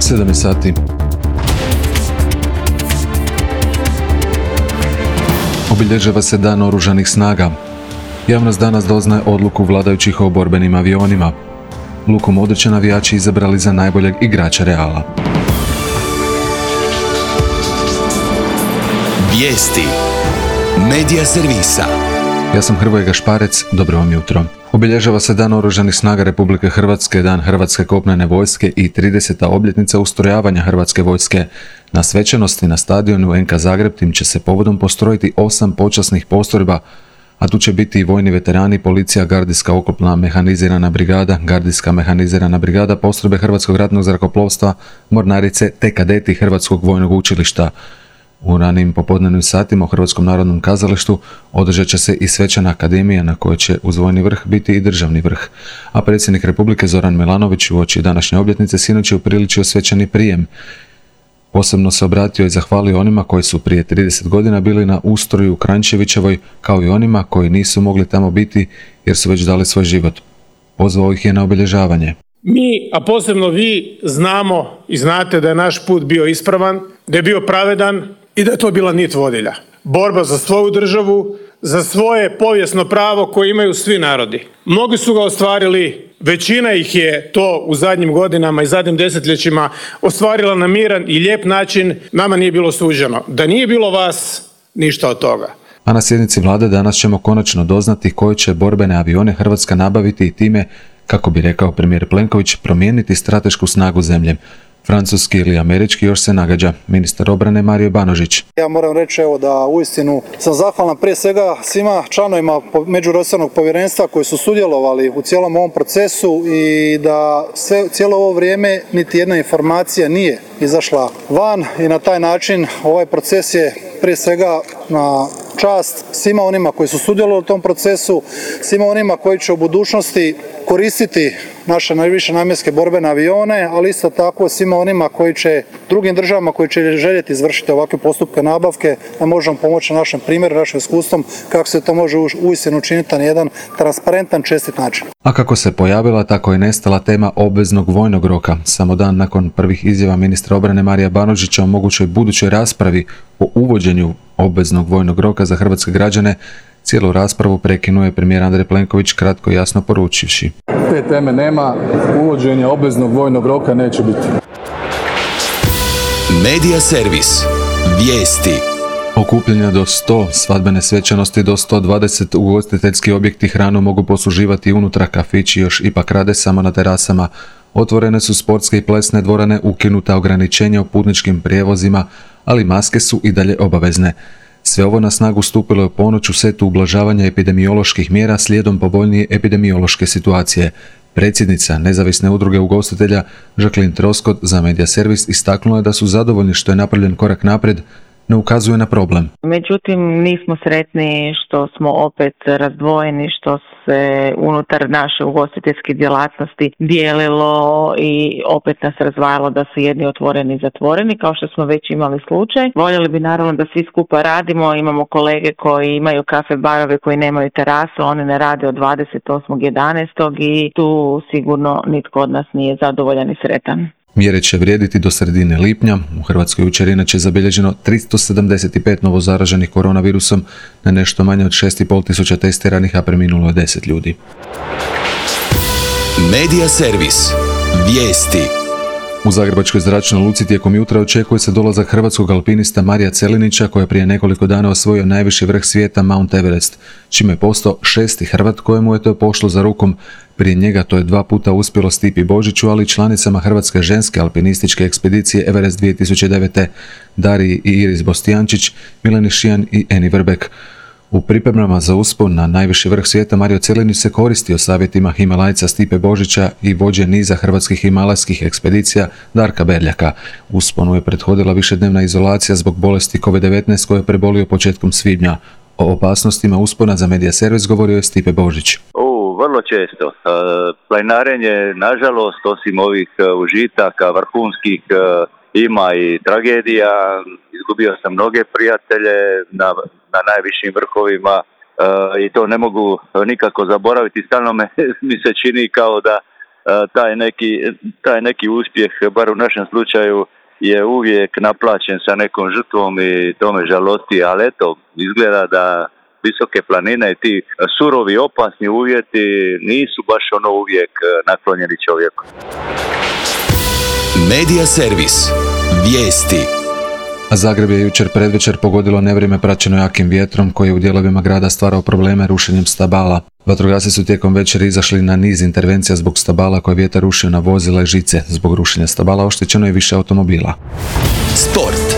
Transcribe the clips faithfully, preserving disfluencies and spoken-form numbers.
sedam sati. Obilježava se Dan oružanih snaga. Javnost danas doznaje odluku vladajućih o borbenim avionima. Luku Modrića navijači izabrali za najboljeg igrača Reala. Vijesti Medija servisa. Ja sam Hrvoje Gašparec, dobro vam jutro. Obilježava se Dan oružanih snaga Republike Hrvatske, Dan Hrvatske kopnene vojske i trideseta obljetnica ustrojavanja Hrvatske vojske. Na svečanosti na stadionu en ka Zagreb tim će se povodom postrojiti osam počasnih postrojba, a tu će biti i vojni veterani, policija, gardijska oklopna mehanizirana brigada, gardijska mehanizirana brigada, postrojbe Hrvatskog ratnog zrakoplovstva, mornarice te kadeti Hrvatskog vojnog učilišta. U ranim popodnevnim satima u Hrvatskom narodnom kazalištu održat će se i svečana akademija na kojoj će uz vojni vrh biti i državni vrh. A predsjednik Republike Zoran Milanović uoči današnje obljetnice sinoć je upriličio svečani prijem. Posebno se obratio i zahvalio onima koji su prije trideset godina bili na ustroju u Kranjčevićevoj, kao i onima koji nisu mogli tamo biti jer su već dali svoj život. Pozvao ih je na obilježavanje. Mi, a posebno vi, znamo i znate da je naš put bio ispravan, da je bio pravedan i da je to bila nit vodilja. Borba za svoju državu, za svoje povijesno pravo koje imaju svi narodi. Mnogi su ga ostvarili, većina ih je to u zadnjim godinama i zadnjim desetljećima ostvarila na miran i lijep način, nama nije bilo suđeno. Da nije bilo vas, ništa od toga. A na sjednici vlade danas ćemo konačno doznati koje će borbene avione Hrvatska nabaviti i time, kako bi rekao premijer Plenković, promijeniti stratešku snagu zemlje. Francuski ili američki još se nagađa. Ministar obrane Mario Banožić. Ja moram reći evo da uistinu sam zahvalan prije svega svima članovima međuresornog povjerenstva koji su sudjelovali u cijelom ovom procesu i da sve, cijelo ovo vrijeme niti jedna informacija nije izašla van i na taj način ovaj proces je prije svega na čast svima onima koji su sudjelovali u tom procesu, svima onima koji će u budućnosti koristiti naše najviše namjenske borbene avione, ali isto tako svima onima koji će, drugim državama koji će željeti izvršiti ovakve postupke nabavke, da možemo pomoći našem primjeru, našim iskustvom, kako se to može uistinu učiniti na jedan transparentan, čestit način. A kako se pojavila, tako je nestala tema obveznog vojnog roka. Samo dan nakon prvih izjava ministra obrane Marija Banožića o mogućoj budućoj raspravi o uvođenju obveznog vojnog roka za hrvatske građane, cijelu raspravu prekinuo je premijer Andrej Plenković kratko i jasno poručivši: te teme nema, uvođenja obveznog vojnog roka neće biti. Medija servis. Vijesti. Okupljanja do sto, svadbene svečanosti do sto dvadeset, ugostiteljski objekti hranu mogu posluživati unutra, kafići još ipak rade samo na terasama. Otvorene su sportske i plesne dvorane, ukinuta ograničenja u putničkim prijevozima, ali maske su i dalje obavezne. Sve ovo na snagu stupilo je u ponoć u setu ublažavanja epidemioloških mjera slijedom povoljnije epidemiološke situacije. Predsjednica nezavisne udruge ugostitelja Jacqueline Troskot za Medija servis istaknula je da su zadovoljni što je napravljen korak naprijed, ne ukazuje na problem. Međutim, nismo sretni što smo opet razdvojeni, što se unutar naše ugostiteljske djelatnosti dijelilo i opet nas razdvajalo da su jedni otvoreni i zatvoreni, kao što smo već imali slučaj. Voljeli bi naravno da svi skupa radimo, imamo kolege koji imaju kafe barove koji nemaju terasu, oni ne rade od dvadeset osmog jedanaestog i tu sigurno nitko od nas nije zadovoljan i sretan. Mjere će vrijediti do sredine lipnja. U Hrvatskoj jučer inače zabilježeno tristo sedamdeset pet novo zaraženih koronavirusom, na nešto manje od šest i pol tisuća testiranih, a preminulo je deset ljudi. Medija servis. Vijesti. U Zagrebačkoj zračnoj luci tijekom jutra očekuje se dolazak hrvatskog alpinista Marija Celinića, koji je prije nekoliko dana osvojio najviši vrh svijeta Mount Everest, čime je postao šesti Hrvat kojemu je to pošlo za rukom. Prije njega to je dva puta uspjelo Stipi Božiću, ali i članicama Hrvatske ženske alpinističke ekspedicije Everest dvije tisuće devete Dariji i Iris Bostijančić, Mileni Šijan i Eni Vrbek. U pripremama za uspon na najviši vrh svijeta Mario Celinić se koristio savjetima Himalajca Stipe Božića i vođe niza hrvatskih himalajskih ekspedicija Darka Berljaka. Usponu je prethodila višednevna izolacija zbog bolesti kovid devetnaest koju je prebolio početkom svibnja. O opasnostima uspona za Medija servis govorio je Stipe Božić. O, vrlo često. E, planinarenje, nažalost, osim ovih užitaka vrhunskih, e, ima i tragedija. Izgubio sam mnoge prijatelje na, na najvišim vrhovima e, i to ne mogu nikako zaboraviti. Stalno me, mi se čini kao da taj neki, taj neki uspjeh, bar u našem slučaju, je uvijek naplaćen sa nekom žrtvom i to me žalosti, ali eto, izgleda da visoke planine i ti surovi, opasni uvjeti nisu baš ono uvijek naklonjeni čovjeku. Medija servis. Vijesti. A Zagreb je jučer predvečer pogodilo nevrijeme praćeno jakim vjetrom koji je u dijelovima grada stvarao probleme rušenjem stabala. Vatrogasci su tijekom večeri izašli na niz intervencija zbog stabala koje vjetar rušio na vozila i žice. Zbog rušenja stabala oštećeno je više automobila. Sport.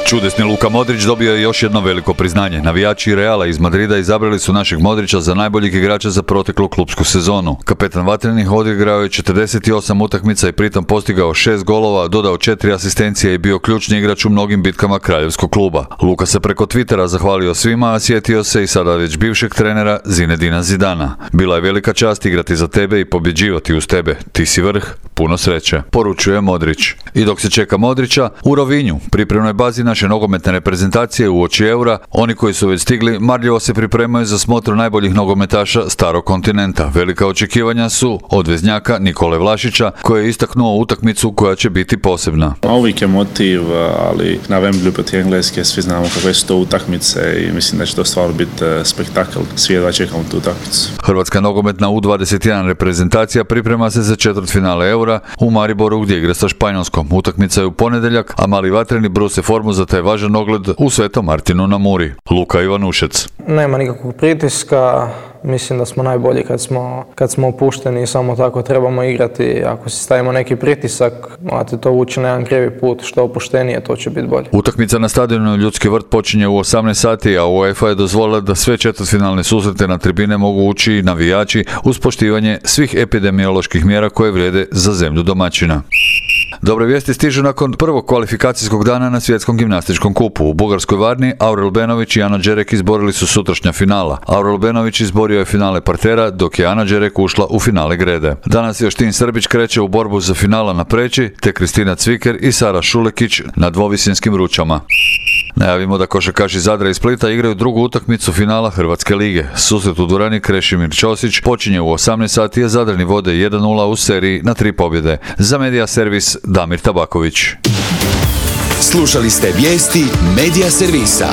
Čudesni Luka Modrić dobio je još jedno veliko priznanje. Navijači Reala iz Madrida izabrali su našeg Modrića za najboljeg igrača za proteklu klupsku sezonu. Kapetan Vatrenih odigrao je četrdeset osam utakmica i pritom postigao šest golova, dodao četiri asistencije i bio ključni igrač u mnogim bitkama kraljevskog kluba. Luka se preko Twittera zahvalio svima, a sjetio se i sada već bivšeg trenera Zinedina Zidana. Bila je velika čast igrati za tebe i pobjeđivati uz tebe. Ti si vrh, puno sreće, poručuje Modrić. I dok se čeka Modrića, u Rovinju, pripremnoj bazi naše nogometne reprezentacije uoči Eura, oni koji su već stigli marljivo se pripremaju za smotru najboljih nogometaša starog kontinenta. Velika očekivanja su od veznjaka Nikole Vlašića, koji je istaknuo utakmicu koja će biti posebna. Uvijek je motiv, ali na Wembley protiv Engleske svi znamo kakve su to utakmice i mislim da će to stvarno biti spektakl. Svi jedva čekamo tu utakmicu. Hrvatska nogometna U dvadeset jedan reprezentacija priprema se za četvrtfinale Eura u Mariboru gdje igra sa Španjolskom. Utakmica je u ponedjeljak, a mali vatreni bruse formu za taj važan ogled u Svetom Martinu na Muri. Luka Ivanušec. Nema nikakvog pritiska, mislim da smo najbolji kad smo, kad smo opušteni i samo tako trebamo igrati. Ako si stavimo neki pritisak, morate to vući na jedan krivi put, što opuštenije, to će biti bolje. Utakmica na stadionu Ljudski vrt počinje u osamnaest sati, a UEFA je dozvolila da sve četvrtfinalne susrete na tribine mogu ući i navijači uz poštivanje svih epidemioloških mjera koje vrijede za zemlju domaćina. Dobre vijesti stižu nakon prvog kvalifikacijskog dana na svjetskom gimnastičkom kupu. U bugarskoj Varni Aurel Benović i Ana Đerek izborili su sutrašnja finala. Aurel Benović izborio je finale partera, dok je Ana Đerek ušla u finale grede. Danas Joštin Srbić kreće u borbu za finala na preći, te Kristina Cviker i Sara Šulekić na dvovisinskim ručama. Najavimo da košarkaši Zadra i Splita igraju drugu utakmicu finala Hrvatske lige. Susret u dvorani Krešimir Ćosić počinje u osamnaest sati, a Zadrani vode jedan nula u seriji na tri pobjede. Za Medija servis Damir Tabaković. Slušali ste vijesti Medija servisa.